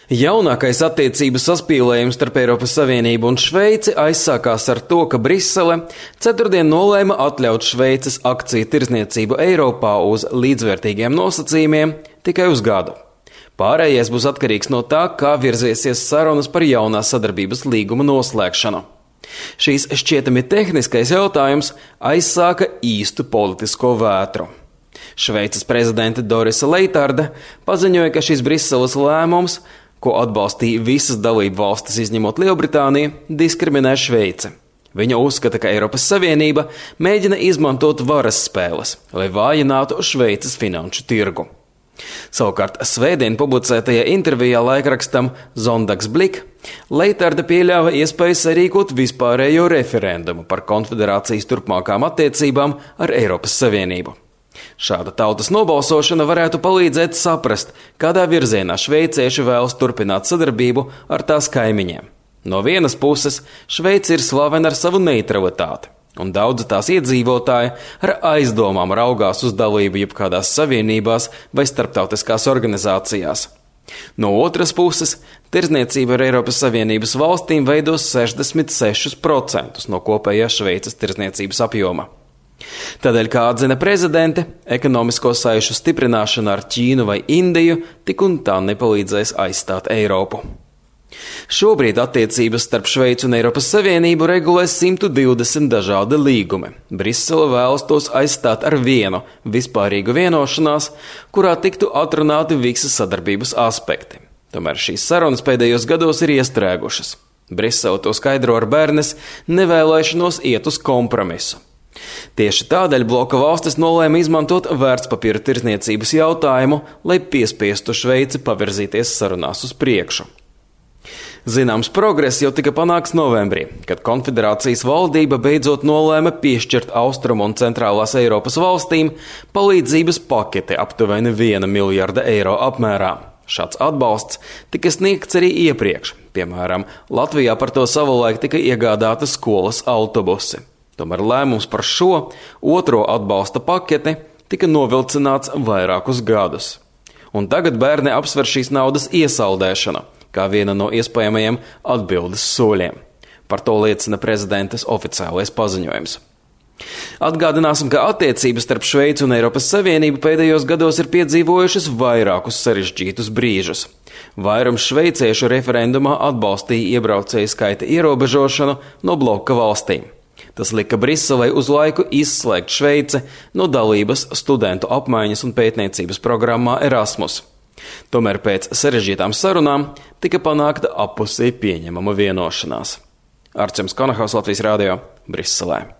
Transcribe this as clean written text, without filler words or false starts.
Jaunākais attiecību saspīlējums starp Eiropas Savienību un Šveici aizsākās ar to, ka Brisele ceturtdien nolēma atļaut Šveices akciju tirdzniecību Eiropā uz līdzvērtīgiem nosacījumiem tikai uz gadu. Pārējais būs atkarīgs no tā, kā virziesies sarunas par jaunā sadarbības līguma noslēgšanu. Šīs šķietami tehniskais jautājums aizsāka īstu politisko vētru. Šveices prezidente Dorisa Leitarde paziņoja, ka šis Briseles lēmums, ko atbalstīja visas dalību valstis izņemot Lielbritāniju, diskriminē Šveici. Viņa uzskata, ka Eiropas Savienība mēģina izmantot varas spēles, lai vājinātu Šveices finanšu tirgu. Savukārt svētdien publicētajā intervijā laikrakstam Zondagsblick Leitarde pieļāva iespēju sarīkot vispārējo referendumu par konfederācijas turpmākām attiecībām ar Eiropas Savienību. Šāda tautas nobalsošana varētu palīdzēt saprast, kādā virzienā šveicieši vēlas turpināt sadarbību ar tās kaimiņiem. No vienas puses, Šveice ir slavena ar savu neutralitāti, un daudzi tās iedzīvotāji ar aizdomām raugās uz dalību jebkādās savienībās vai starptautiskās organizācijās. No otras puses, tirdzniecība ar Eiropas Savienības valstīm veido 66% no kopējā Šveices tirdzniecības apjoma. Tādēļ, kā atzina prezidente, ekonomisko saišu stiprināšana ar Ķīnu vai Indiju tik un tā nepalīdzēs aizstāt Eiropu. Šobrīd attiecības starp Šveici un Eiropas Savienību regulē 120 dažādi līgumi. Brisele vēlas tos aizstāt ar vienu vispārīgu vienošanās, kurā tiktu atrunāti visi sadarbības aspekti. Tomēr šīs sarunas pēdējos gados ir iestrēgušas. Brisele to skaidro ar bērnes nevēlēšanos iet uz kompromisu. Tieši tādēļ bloka valstis nolēma izmantot vērtspapīra tirdzniecības jautājumu, lai piespiestu Šveici pavirzīties sarunās uz priekšu. Zināms progress jau tika panākts novembrī, kad konfederācijas valdība beidzot nolēma piešķirt Austrumu un Centrālās Eiropas valstīm palīdzības paketi aptuveni 1 miljarda eiro apmērā. Šāds atbalsts tika sniegts arī iepriekš. Piemēram, Latvijā par to savulaik tika iegādāta skolas autobusi. Tomēr lēmums par šo otro atbalsta paketi tika novilcināts vairākus gadus. Un tagad bērni apsver šīs naudas iesaldēšanu, kā viena no iespējamajiem atbildes soļiem. Par to liecina prezidentes oficiālais paziņojums. Atgādināsim, ka attiecības starp Šveici un Eiropas Savienību pēdējos gados ir piedzīvojušas vairākus sarežģītus brīžus. Vairums šveiciešu referendumā atbalstīja iebraucēju skaita ierobežošanu no bloka valstīm. Tas lika Briselei uz laiku izslēgt Šveici no dalības studentu apmaiņas un pētniecības programmā Erasmus. Tomēr pēc sarežģītām sarunām tika panākta appusēji pieņemama vienošanās. Arčems Konahaus, Latvijas radio, Briselē.